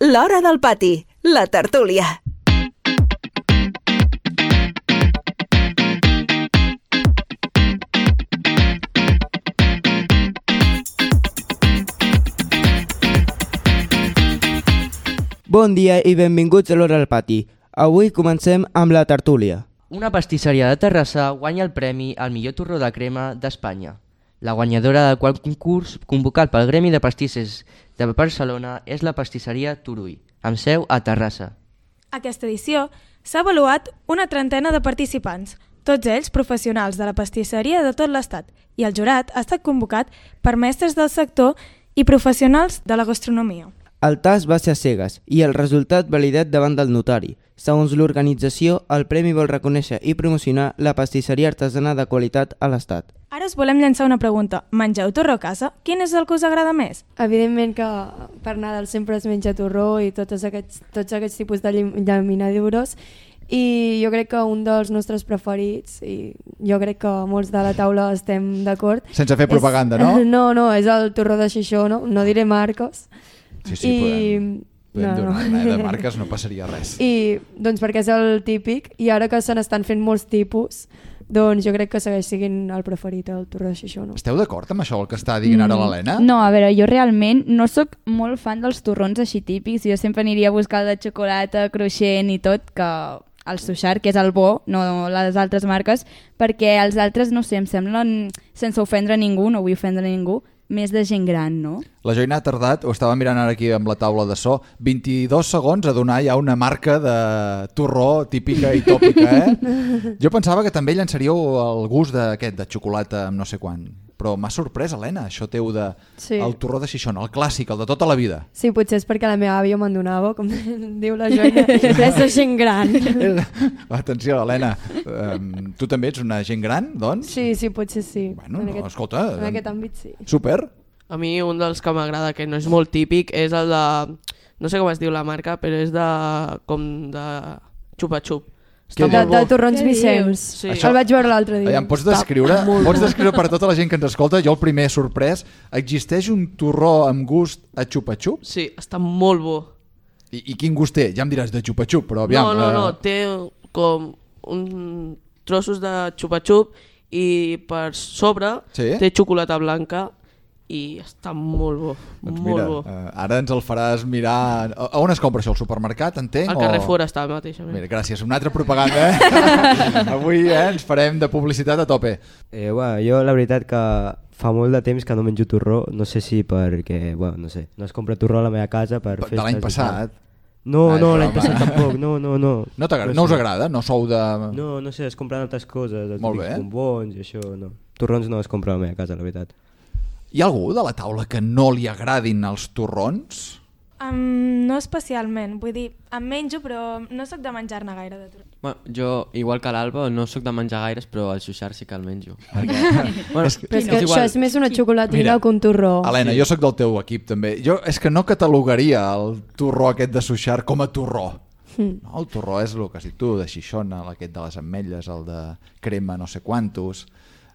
L'Hora del Pati, la tertúlia. Bon dia i benvinguts a l'Hora del Pati. Avui comencem amb la tertúlia. Una pastisseria de Terrassa guanya el premi al millor torró de crema d'Espanya. La guanyadora del qual concurs, convocat pel Gremi de Pastisses de Barcelona, és la pastisseria Turull, amb seu a Terrassa. Aquesta edició s'ha avaluat una trentena de participants, tots ells professionals de la pastisseria de tot l'Estat, i el jurat ha estat convocat per mestres del sector i professionals de la gastronomia. El tast va ser a cegues i el resultat validat davant del notari. Segons l'organització, el premi vol reconèixer i promocionar la pastisseria artesana de qualitat a l'Estat. Ara us volem llançar una pregunta. Mengeu torró a casa? Quin és el que us agrada més? Evidentment que per Nadal sempre es menja torró i tots aquests tipus de llaminadures, i jo crec que un dels nostres preferits, i jo crec que molts de la taula estem d'acord... Sense fer propaganda, no? No, és el torró de Xixona, no diré marques. Sí, podem donar de marques, no passaria res. I doncs perquè és el típic, i ara que se n'estan fent molts tipus, doncs jo crec que segueix sent el preferit, el torró de Xixona. Esteu d'acord amb això, el que està dient ara l'Helena? No, a veure, jo realment no sóc molt fan dels torrons així típics. Jo sempre aniria a buscar el de xocolata, cruixent i tot, que el Suixar, que és el bo, no les altres marques, perquè els altres, no sé, em semblen, sense ofendre ningú, no vull ofendre ningú, més de gent gran, no? La Joina ha tardat, ho estava mirant ara aquí amb la taula de so, 22 segons a donar ja una marca de torró típica i tòpica, Jo pensava que també llançaríeu el gust d'aquest, de xocolata amb no sé quan, però m'ha sorprès, Helena, això teu de el torró de Xixona, el clàssic, el de tota la vida. Sí, potser és perquè la meva àvia me'n donava, com diu la Joina, és de gent gran. Atenció, Helena, tu també ets una gent gran, doncs? Sí, potser sí. Bueno, escolta... En aquest àmbit sí. Super. A mi un dels que m'agrada, que no és molt típic, és el de... No sé com es diu la marca, però és de... com de xupa-xup. De torrons Vicenç. Sí. El vaig veure l'altre dia. Em pots descriure per a tota la gent que ens escolta? Jo el primer sorprès, existeix un torró amb gust a xupa-xup? Sí, està molt bo. I quin gust té? Ja em diràs de xupa-xup, però aviam... No, té com trossos de xupa-xup i per sobre té xocolata blanca i està molt bo, doncs molt mira, bo. Ara ens el faràs mirar... A on es compra això? Al supermercat, entenc? Al Carrefour està mateixament. Mira, gràcies, una altra propaganda. Avui ens farem de publicitat a tope. Jo la veritat que fa molt de temps que no menjo torró, no sé si perquè, no sé, no es compra torró a la meva casa per festes. De l'any passat? No, l'any passat tampoc, no. No us agrada? No sou de... No sé, es compren altres coses, els típics bombons i això, no. Torrons no es compra a la meva casa, la veritat. Hi ha algú de la taula que no li agradin els torrons? No especialment, vull dir, em menjo però no sóc de menjar-ne gaire de torró. Jo, igual que l'Alba, no sóc de menjar gaires, però el Suixar sí que el menjo. Però és que això és més una xocolatina que un torró. Helena, jo sóc del teu equip també. Jo és que no catalogaria el torró aquest de Suixar com a torró. No, el torró és el que has dit tu, de Xixona, aquest de les ametlles, el de crema no sé quantos...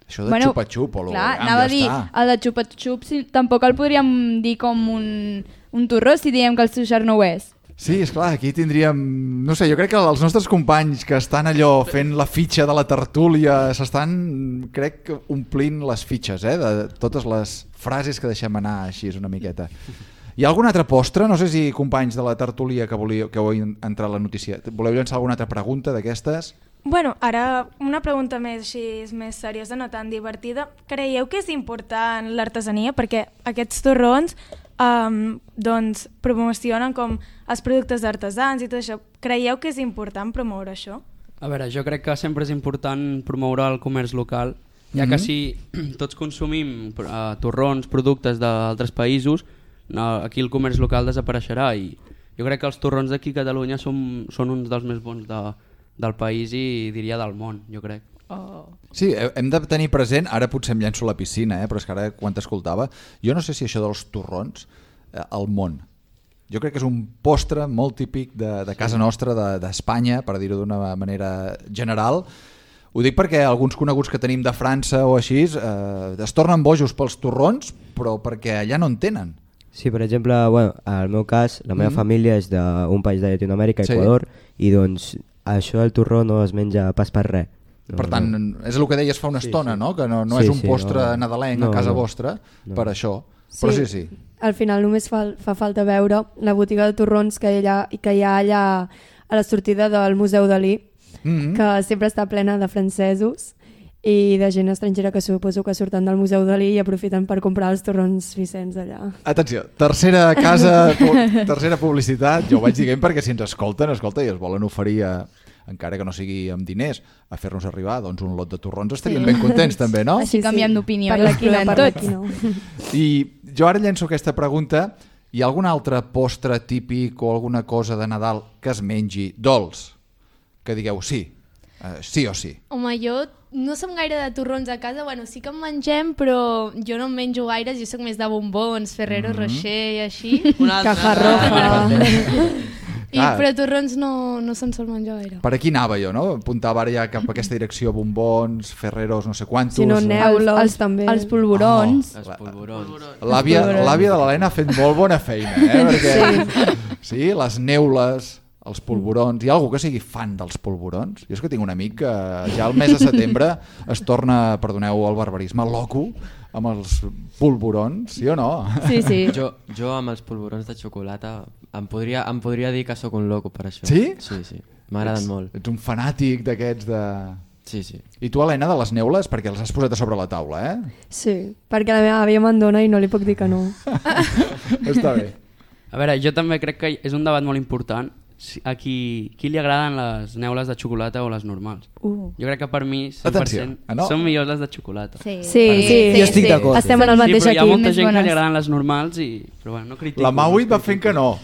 Això de xupa-xup o clar, anava a dir, el de xupa-xup tampoc el podríem dir com un torró si diem que el Suixar no ho és. Sí, esclar, aquí tindríem... No sé, jo crec que els nostres companys que estan allò fent la fitxa de la tertúlia s'estan, crec, omplint les fitxes, de totes les frases que deixem anar així una miqueta. Hi ha algun altre postre? No sé si companys de la tertúlia que heu entrat a la notícia, voleu llançar alguna altra pregunta d'aquestes? Bueno, ara una pregunta més seriosa, no tan divertida. Creieu que és important l'artesania? Perquè aquests torrons doncs, promocionen com els productes artesans i tot això. Creieu que és important promoure això? A veure, jo crec que sempre és important promoure el comerç local, ja que si tots consumim torrons, productes d'altres països, aquí el comerç local desapareixerà i jo crec que els torrons d'aquí a Catalunya són uns dels més bons del país i diria del món, jo crec. Sí, hem de tenir present, ara potser em llenço a la piscina, però és que ara quan t'escoltava, jo no sé si això dels torrons, al món, jo crec que és un postre molt típic de casa nostra, d'Espanya, per dir-ho d'una manera general. Ho dic perquè alguns coneguts que tenim de França o així es tornen bojos pels torrons, però perquè allà no en tenen. Sí, per exemple, bueno, al meu cas, la meva família és d'un país de Llatinoamèrica, Equador, i doncs això del torró no es menja pas per res. Per tant, és el que deies fa una estona, no? Que no és un postre nadalenc a casa vostra, per això. Però sí. Al final només fa falta veure la botiga de torrons que hi ha allà a la sortida del Museu Dalí, que sempre està plena de francesos i de gent estrangera que suposo que surten del Museu Dalí i aprofiten per comprar els torrons Vicenç allà. Atenció, tercera casa, tercera publicitat, jo ho vaig dient perquè si ens escolten i es volen oferir, encara que no sigui amb diners, a fer-nos arribar doncs, un lot de torrons, estaríem ben contents també, no? Així canviem d'opinió i els provem tots. I jo ara llenço aquesta pregunta, hi ha algun altre postre típic o alguna cosa de Nadal que es mengi dolç? Que digueu sí o sí. Home, jo no som gaire de torrons a casa, bueno, sí que en mengem, però jo no en menjo gaires, jo soc més de bombons, Ferrero Rocher i així. Cajarroja. Però torrons no se'n sol menjar gaire. Per aquí anava jo, no? Apuntava ara ja cap a aquesta direcció, bombons, Ferreros, no sé quantos. Si no, neules també. Els polvorons. L'àvia de l'Helena ha fet molt bona feina, perquè sí, les neules, els polvorons. Hi ha algú que sigui fan dels polvorons? Jo és que tinc un amic que ja al mes de setembre es torna, perdoneu el barbarisme, loco amb els polvorons, sí o no? Sí. Jo amb els polvorons de xocolata em podria dir que sóc un loco per això. Sí? Sí. M'agraden molt. Ets un fanàtic d'aquests de... Sí. I tu, Helena, de les neules, perquè les has posat a sobre la taula, Sí, perquè la meva àvia me'n dona i no li puc dir que no. Està bé. A veure, jo també crec que és un debat molt important. A qui li agraden les neules de xocolata o les normals. Jo crec que per mi 100% són millors les de xocolata. Sí. Jo estic d'acord. Estem en el mateix equip. Hi ha molta gent que li bones. agraden les normals, però bueno, no critico. La Maui va fent que no.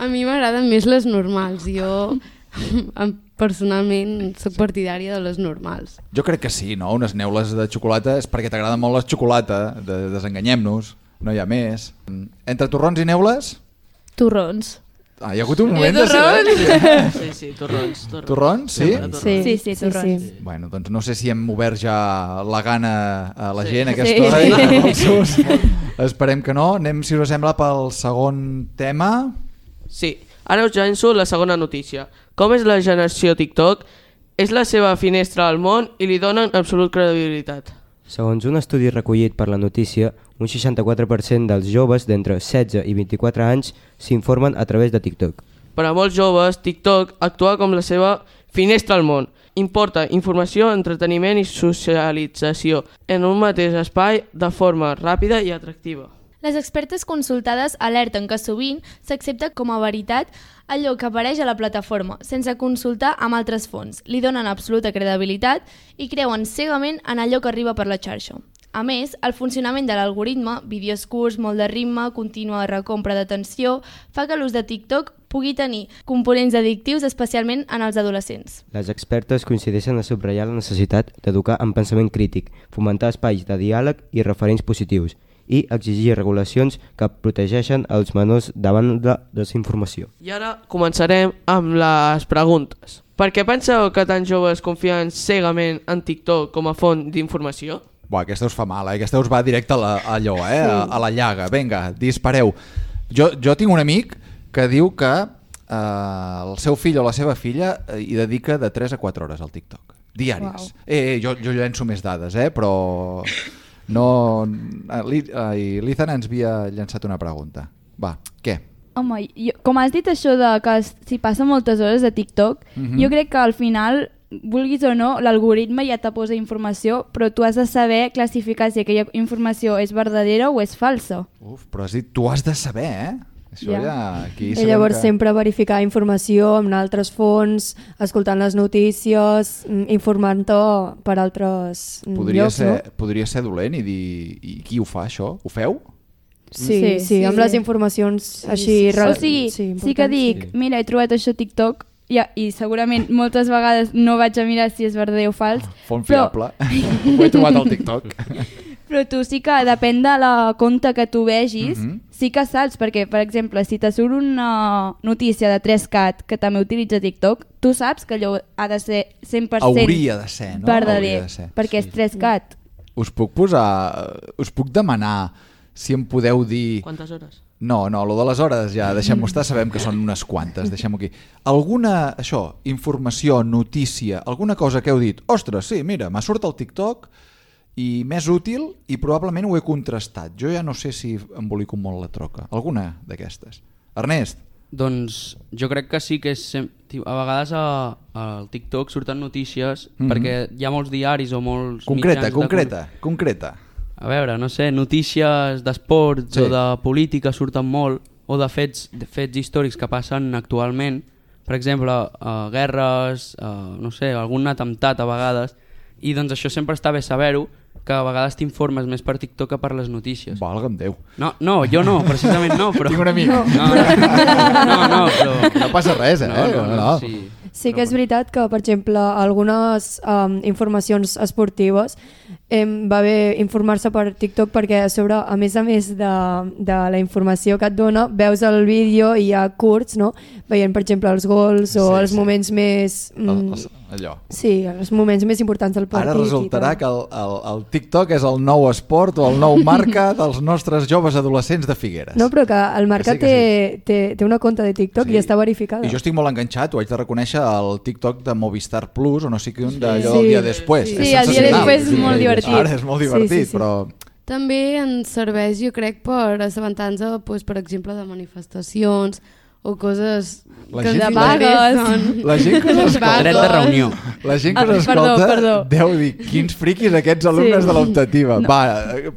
A mi m'agraden més les normals. Jo personalment soc partidària de les normals. Jo crec que sí, no? Unes neules de xocolata és perquè t'agrada molt la xocolata, desenganyem-nos, no hi ha més. Entre torrons i neules? Torrons. Hi ha hagut un moment de silenci. Sí, torrons. Torrons, sí? Sí, torrons. Bueno, doncs no sé si hem obert ja la gana a la gent a aquesta hora. Esperem que no. Anem, si us sembla, pel segon tema. Sí, ara us llenço la segona notícia. Com és la generació TikTok? És la seva finestra al món i li donen absolut credibilitat. Segons un estudi recollit per la notícia, un 64% dels joves d'entre 16 i 24 anys s'informen a través de TikTok. Per a molts joves, TikTok actua com la seva finestra al món. Importa informació, entreteniment i socialització en un mateix espai de forma ràpida i atractiva. Les expertes consultades alerten que sovint s'accepta com a veritat allò que apareix a la plataforma, sense consultar amb altres fonts. Li donen absoluta credibilitat i creuen cegament en allò que arriba per la xarxa. A més, el funcionament de l'algoritme, vídeos curts, molt de ritme, contínua recompra d'atenció, fa que l'ús de TikTok pugui tenir components addictius, especialment en els adolescents. Les expertes coincideixen a subratllar la necessitat d'educar en pensament crític, fomentar espais de diàleg i referents positius, i exigir regulacions que protegeixen els menors davant de desinformació. I ara començarem amb les preguntes. Per què penseu que tants joves confien cegament en TikTok com a font d'informació? Aquesta us fa mal, aquesta us va directe a la llaga. Vinga, dispareu. Jo tinc un amic que diu que el seu fill o la seva filla hi dedica de 3 a 4 hores al TikTok, diàries. Jo llenço més dades, però... No, l'Ethan ens havia llançat una pregunta. Va, què? Home, com has dit això de que si passa moltes hores a TikTok, jo crec que al final, vulguis o no, l'algoritme ja te posa informació, però tu has de saber classificar si aquella informació és verdadera o és falsa. Però has dit, tu has de saber, Això I llavors sempre verificar informació amb altres fonts, escoltant les notícies, informant-te per altres llocs. Podria ser dolent i dir, i qui ho fa això? Ho feu? Sí, amb les informacions així... O sigui, sí que dic, mira, he trobat això a TikTok i segurament moltes vegades no vaig a mirar si és verdader o fals. Font fiable, ho he trobat al TikTok. Però tu sí que depèn de la compte que tu vegis, sí que saps, perquè, per exemple, si te surt una notícia de 3CAT que també utilitza TikTok, tu saps que allò ha de ser 100% hauria de ser, no? verdader, perquè és 3CAT. Us puc demanar si em podeu dir... Quantes hores? No, lo de les hores ja deixem-ho estar, sabem que són unes quantes, deixem-ho aquí. Alguna, informació, notícia, alguna cosa que heu dit, ostres, sí, mira, m'ha surt al TikTok i m'és útil i probablement ho he contrastat. Jo ja no sé si embolico molt la troca. Alguna d'aquestes. Ernest? Doncs jo crec que sí que és... A vegades al TikTok surten notícies perquè hi ha molts diaris o molts mitjans... Concreta. A veure, no sé, notícies d'esports o de política surten molt, o de fets històrics que passen actualment, per exemple, guerres, no sé, algun atemptat a vegades, i doncs això sempre està bé saber-ho, que a vegades t'informes més per TikTok que per les notícies. Valga'm Déu. No, jo no, precisament no, però... Tinc un amic. No, però... No passa res, No. Sí que és veritat que, per exemple, algunes informacions esportives va bé informar-se per TikTok perquè a sobre, a més de la informació que et dona, veus el vídeo i hi ha curts, no? Veient, per exemple, els gols o els moments més... Allò. Sí, els moments més importants del partit. Ara resultarà que el TikTok és el nou esport o el nou marca dels nostres joves adolescents de Figueres. No, però que el Marca té una compte de TikTok i està verificada. I jo estic molt enganxat, ho haig de reconèixer, al TikTok de Movistar Plus o no sé què, d'allò el dia després. Sí, el dia després és molt divertit. Ara és molt divertit, però... També ens serveix, jo crec, per assabentar-nos, per exemple, de manifestacions o coses que de vagues. La gent que us escolta... Dret de reunió. La gent que us escolta deu dir quins friquis aquests alumnes de l'optativa. Va,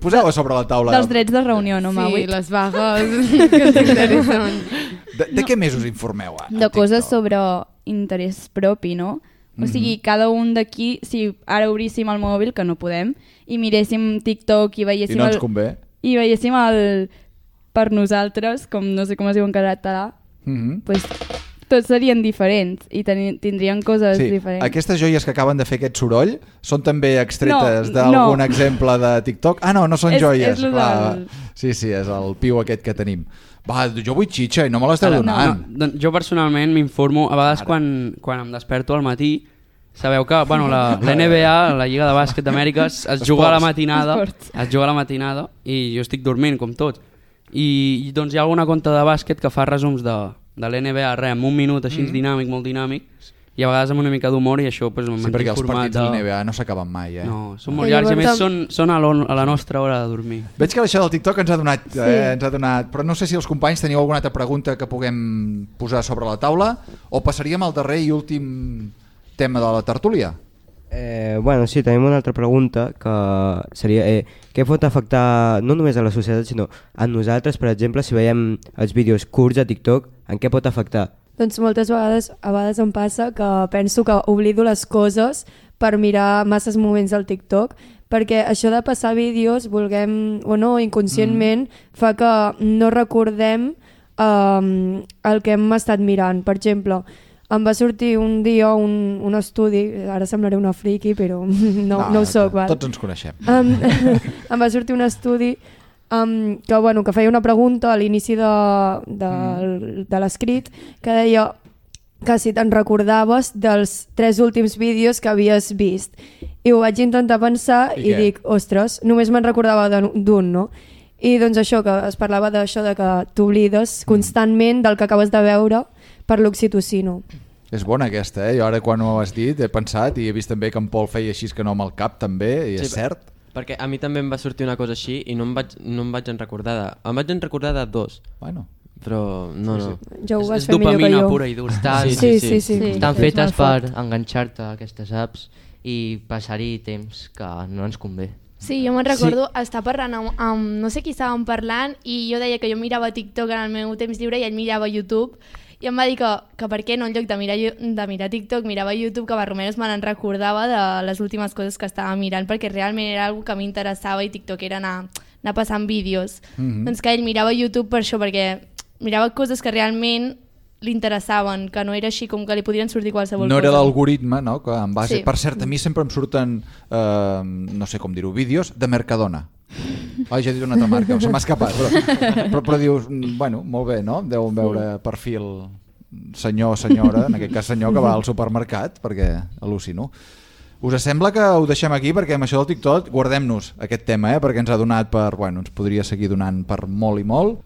poseu-ho sobre la taula. Dels drets de reunió, no, Maui? Sí, les vagues que ens interessen. De què més us informeu? De coses sobre interès propi, no? O sigui, cada un d'aquí, si ara obríssim el mòbil, que no podem, i miréssim TikTok i veiéssim... I no ens convé. I veiéssim el per nosaltres, com no sé com es diu en català, pues, tots serien diferents i tindrien coses diferents. Aquestes joies que acaben de fer aquest soroll són també extretes d'algun exemple de TikTok? Ah, no són joies. Sí, és el piu aquest que tenim. Va, jo vull xitxa i no me l'esteu donant. Jo personalment m'informo, a vegades quan em desperto al matí, sabeu que la NBA, la Lliga de Bàsquet d'Amèrica, es juga a la matinada i jo estic dormint com tots. I doncs hi ha alguna conta de bàsquet que fa resums de l'NBA, en un minut així dinàmic, molt dinàmic, i a vegades amb una mica d'humor i això m'ha informat. Sí, perquè els partits de l'NBA no s'acaben mai. No, són molt llargs i a més són a la nostra hora de dormir. Veig que això del TikTok ens ha donat, però no sé si els companys teniu alguna altra pregunta que puguem posar sobre la taula o passaríem al darrer i últim tema de la tertúlia. Sí, tenim una altra pregunta que seria què pot afectar no només a la societat sinó a nosaltres, per exemple, si veiem els vídeos curts a TikTok, en què pot afectar? Doncs moltes vegades em passa que penso que oblido les coses per mirar masses moments al TikTok, perquè això de passar vídeos, vulguem o no, inconscientment, fa que no recordem el que hem estat mirant. Per exemple, em va sortir un dia un estudi, ara semblaré una friki, però no ho soc. Tots ens coneixem. Em va sortir un estudi que feia una pregunta a l'inici de l'escrit que deia que si te'n recordaves dels 3 últims vídeos que havies vist. I ho vaig intentar pensar i dic, ostres, només me'n recordava d'un, no? I doncs això, que es parlava d'això de que t'oblides constantment del que acabes de veure per l'oxitocina. És bona aquesta, Jo ara quan ho has dit he pensat i he vist també que en Pol feia així que no amb el cap també, i és cert. Perquè a mi també em va sortir una cosa així i no em vaig recordar em vaig recordar de 2. Bueno. Però no. Ja ho vas fer millor que jo. És dopamina pura i dura. Sí. Estan fetes per enganxar-te a aquestes apps i passar-hi temps que no ens convé. Sí, jo me'n recordo estar parlant amb no sé qui estàvem parlant i jo deia que jo mirava TikTok en el meu temps lliure i ell mirava YouTube i em va dir que per què no, en lloc de mirar TikTok, mirava YouTube, que Barromeros me n'en recordava de les últimes coses que estava mirant, perquè realment era una cosa que m'interessava i TikTok era anar passant vídeos. Doncs que ell mirava YouTube per això, perquè mirava coses que realment li interessaven, que no era així com que li podrien sortir qualsevol cosa. No era l'algoritme, no? Que en base... Per cert, a mi sempre em surten, no sé com dir-ho, vídeos de Mercadona. Ja he dit una altra marca, se m'ha escapat, però dius, bueno, molt bé, no? Deuen veure perfil senyor o senyora, en aquest cas senyor que va al supermercat, perquè al·lucino. Us sembla que ho deixem aquí? Perquè amb això del TikTok guardem-nos aquest tema, perquè ens ha donat per... Bueno, ens podria seguir donant per molt i molt.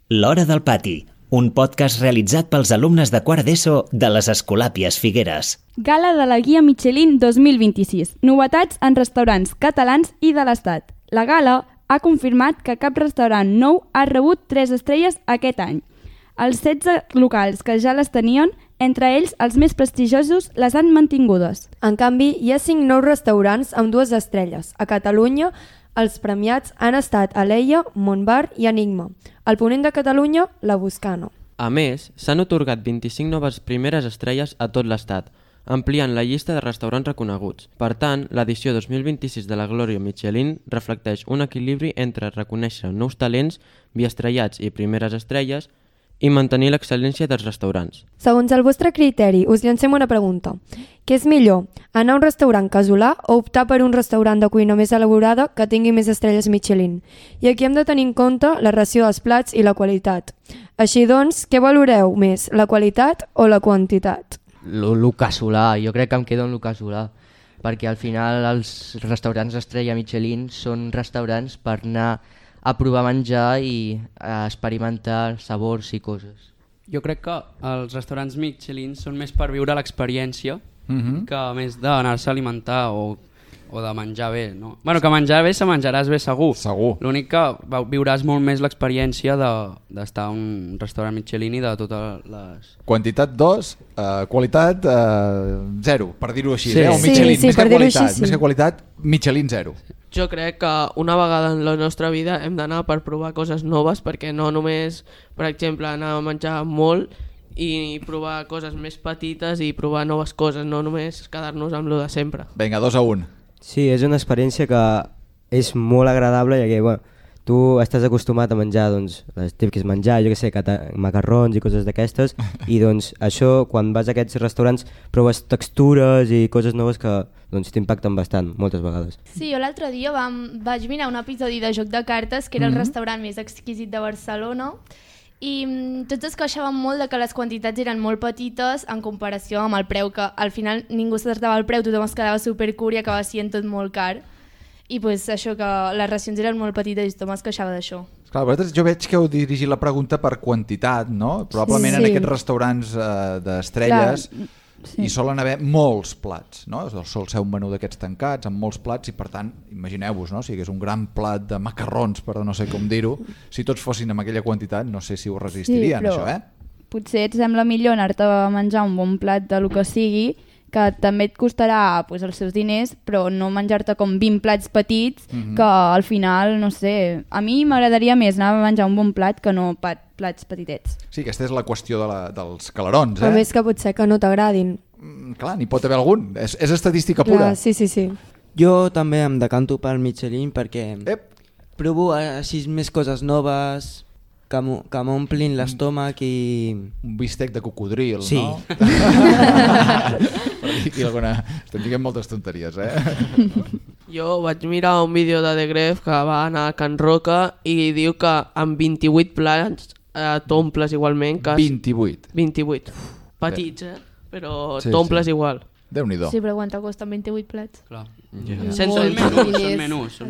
L'Hora del Pati, un podcast realitzat pels alumnes de quart d'ESO de les Escolàpies Figueres. Gala de la Guia Michelin 2026. Novetats en restaurants catalans i de l'Estat. La gala ha confirmat que cap restaurant nou ha rebut 3 estrelles aquest any. Els 16 locals que ja les tenien, entre ells els més prestigiosos, les han mantingudes. En canvi, hi ha 5 nous restaurants amb 2 estrelles. A Catalunya, els premiats han estat Aleia, Montbar i Enigma. Al ponent de Catalunya, la Buscano. A més, s'han atorgat 25 noves primeres estrelles a tot l'Estat, ampliant la llista de restaurants reconeguts. Per tant, l'edició 2026 de la Glòria Michelin reflecteix un equilibri entre reconèixer nous talents, biestrellats i primeres estrelles, i mantenir l'excel·lència dels restaurants. Segons el vostre criteri, us llancem una pregunta. Què és millor, anar a un restaurant casolà o optar per un restaurant de cuina més elaborada que tingui més estrelles Michelin? I aquí hem de tenir en compte la ració dels plats i la qualitat. Així doncs, què valoreu més, la qualitat o la quantitat? Lo casolà, jo crec que em quedo en lo casolà, perquè al final els restaurants estrella Michelin són restaurants per anar a provar menjar i a experimentar sabors i coses. Jo crec que els restaurants Michelin són més per viure l'experiència que més d'anar-se a alimentar o de menjar bé, no? Bueno, que menjar bé se menjaràs bé segur. Segur. L'únic que viuràs molt més l'experiència d'estar a un restaurant Michelin i de totes les... Quantitat 2, qualitat 0, per dir-ho així. Sí. Un Michelin, sí, més que per dir-ho qualitat, així, sí. més que qualitat, Michelin 0. Jo crec que una vegada en la nostra vida hem d'anar per provar coses noves, perquè no només, per exemple, anar a menjar molt i provar coses més petites i provar noves coses, no només quedar-nos amb lo de sempre. Vinga, 2-1. Sí, és una experiència que és molt agradable, ja que bueno, tu estàs acostumat a menjar doncs, les típiques menjar, jo que sé, macarrons i coses d'aquestes, i doncs això, quan vas a aquests restaurants, proves textures i coses noves que doncs, t'impacten bastant, moltes vegades. Sí, jo l'altre dia vaig mirar un episodi de Joc de Cartes, que era el restaurant més exquisit de Barcelona, i tots es queixaven molt de que les quantitats eren molt petites en comparació amb el preu, que al final ningú s'acertava al preu, tothom es quedava supercur i acabava sent tot molt car. I pues, això, que les racions eren molt petites i tothom es queixava d'això. Clar, vosaltres, jo veig que heu dirigit la pregunta per quantitat, no? Probablement en aquests restaurants d'estrelles hi solen haver molts plats, no? Sol ser un menú d'aquests tancats amb molts plats i per tant, imagineu-vos, no? Si hi hagués un gran plat de macarrons, per no sé com dir-ho, si tots fossin amb aquella quantitat no sé si ho resistirien, però això, potser et sembla millor anar-te a menjar un bon plat de lo que sigui, que també et costarà pues, els seus diners, però no menjar-te com 20 plats petits, que al final, no sé, a mi m'agradaria més anar a menjar un bon plat que no plats petitets. Sí, aquesta és la qüestió dels calarons, A més que potser que no t'agradin. Clar, n'hi pot haver algun, és estadística pura. Clar, sí. Jo també em decanto pel Michelin perquè provo així més coses noves que m'omplin l'estómac i... Un bistec de cocodril, sí. No? Estem dient moltes tonteries, Jo vaig mirar un vídeo de The Gref que va anar a Can Roca i diu que amb 28 plats t'omples igualment. 28. Petits, però t'omples igual. Déu-n'hi-do. Sí, però quant costen 28 plats? Clar. Són menús.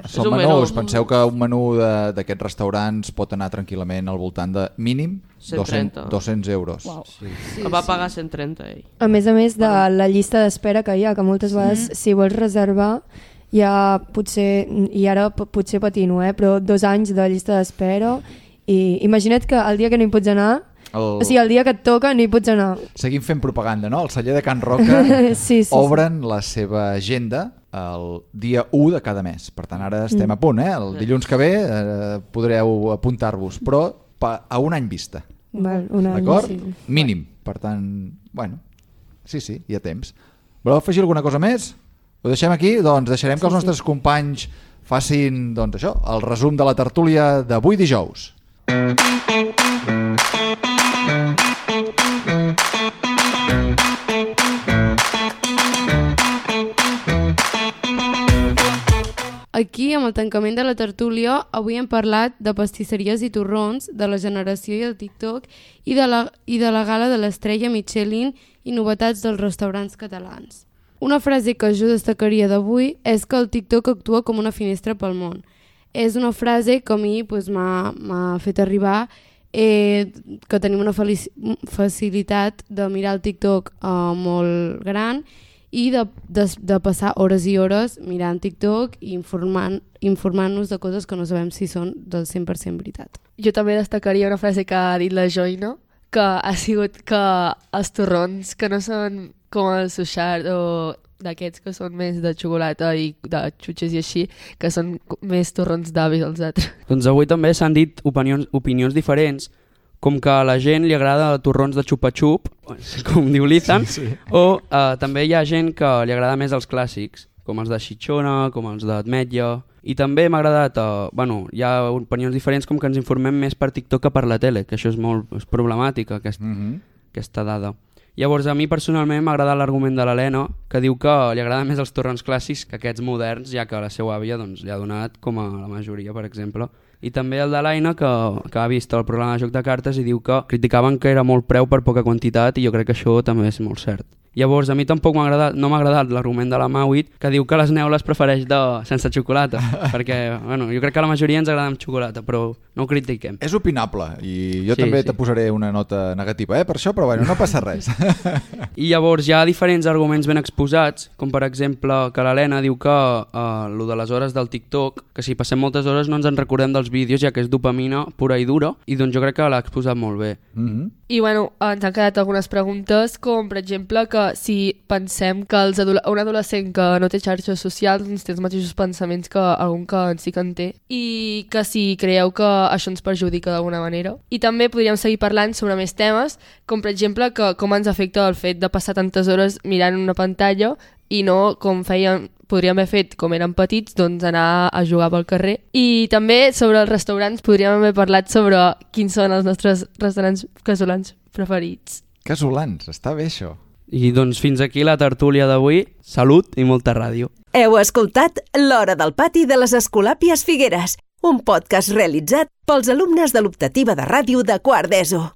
Són menús. Penseu que un menú d'aquests restaurants pot anar tranquil·lament al voltant de mínim 200 euros. Wow. Sí. Va pagar 130 ell. A més de la llista d'espera que hi ha, que moltes vegades si vols reservar ja potser, i ara potser patino, però 2 anys de llista d'espera i imagina't que el dia que no hi pots anar, o sigui, el dia que et toca no hi pots anar. Seguim fent propaganda, no? El celler de Can Roca sí. obren la seva agenda el dia 1 de cada mes. Per tant, ara estem a punt, El dilluns que ve podreu apuntar-vos, però a un any vista. Val, un any, d'acord? Sí. Mínim. Per tant, bueno, sí, hi ha temps. Voleu afegir alguna cosa més? Ho deixem aquí? Doncs deixarem que els nostres companys facin això, el resum de la tertúlia d'avui dijous. Aquí, amb el tancament de la tertúlia, avui hem parlat de pastisseries i torrons, de la generació i el TikTok i de la gala de l'estrella Michelin i novetats dels restaurants catalans. Una frase que jo destacaria d'avui és que el TikTok actua com una finestra pel món. És una frase que a mi m'ha fet arribar que tenim una facilitat de mirar el TikTok molt gran i de passar hores i hores mirant TikTok i informant-nos de coses que no sabem si són del 100% veritat. Jo també destacaria una frase que ha dit la Joina, que ha sigut que els torrons que no són com el suixart o d'aquests que són més de xocolata i de xutxes i així, que són més torrons d'avis els altres. Doncs avui també s'han dit opinions diferents, com que a la gent li agrada torrons de xupa-xup, com diu l'Ethan, o també hi ha gent que li agrada més els clàssics, com els de xitxona, com els d'ametlla, i també m'ha agradat, hi ha opinions diferents com que ens informem més per TikTok que per la tele, que això és problemàtic, aquesta dada. Llavors a mi personalment m'ha agradat l'argument de l'Helena, que diu que li agrada més els torrons clàssics que aquests moderns, ja que la seva àvia li ha donat, com a la majoria, per exemple. I també el de l'Aina, que ha vist el programa de Joc de Cartes i diu que criticaven que era molt preu per poca quantitat, i jo crec que això també és molt cert. Llavors a mi tampoc no m'ha agradat l'argument de la Mauit, que diu que les neules prefereix sense xocolata, perquè jo crec que la majoria ens agrada amb xocolata, però no ho critiquem. És opinable, i jo també te posaré una nota negativa per això, però no passa res. I llavors hi ha diferents arguments ben exposats, com per exemple que l'Helena diu que lo de les hores del TikTok, que si passem moltes hores no ens en recordem dels vídeos, ja que és dopamina pura i dura, i doncs jo crec que l'ha exposat molt bé. I ens han quedat algunes preguntes, com per exemple que si pensem que un adolescent que no té xarxes socials té els mateixos pensaments que algun que sí que en té, i que si creieu que això ens perjudica d'alguna manera. I també podríem seguir parlant sobre més temes, com per exemple que com ens afecta el fet de passar tantes hores mirant una pantalla i no com podríem haver fet com érem petits, doncs anar a jugar pel carrer. I també sobre els restaurants podríem haver parlat sobre quins són els nostres restaurants casolans preferits. Casolans, està bé això. I doncs fins aquí la tertúlia d'avui. Salut i molta ràdio. Heu escoltat L'Hora del Pati de les Escolàpies Figueres, un podcast realitzat pels alumnes de l'optativa de ràdio de quart d'ESO.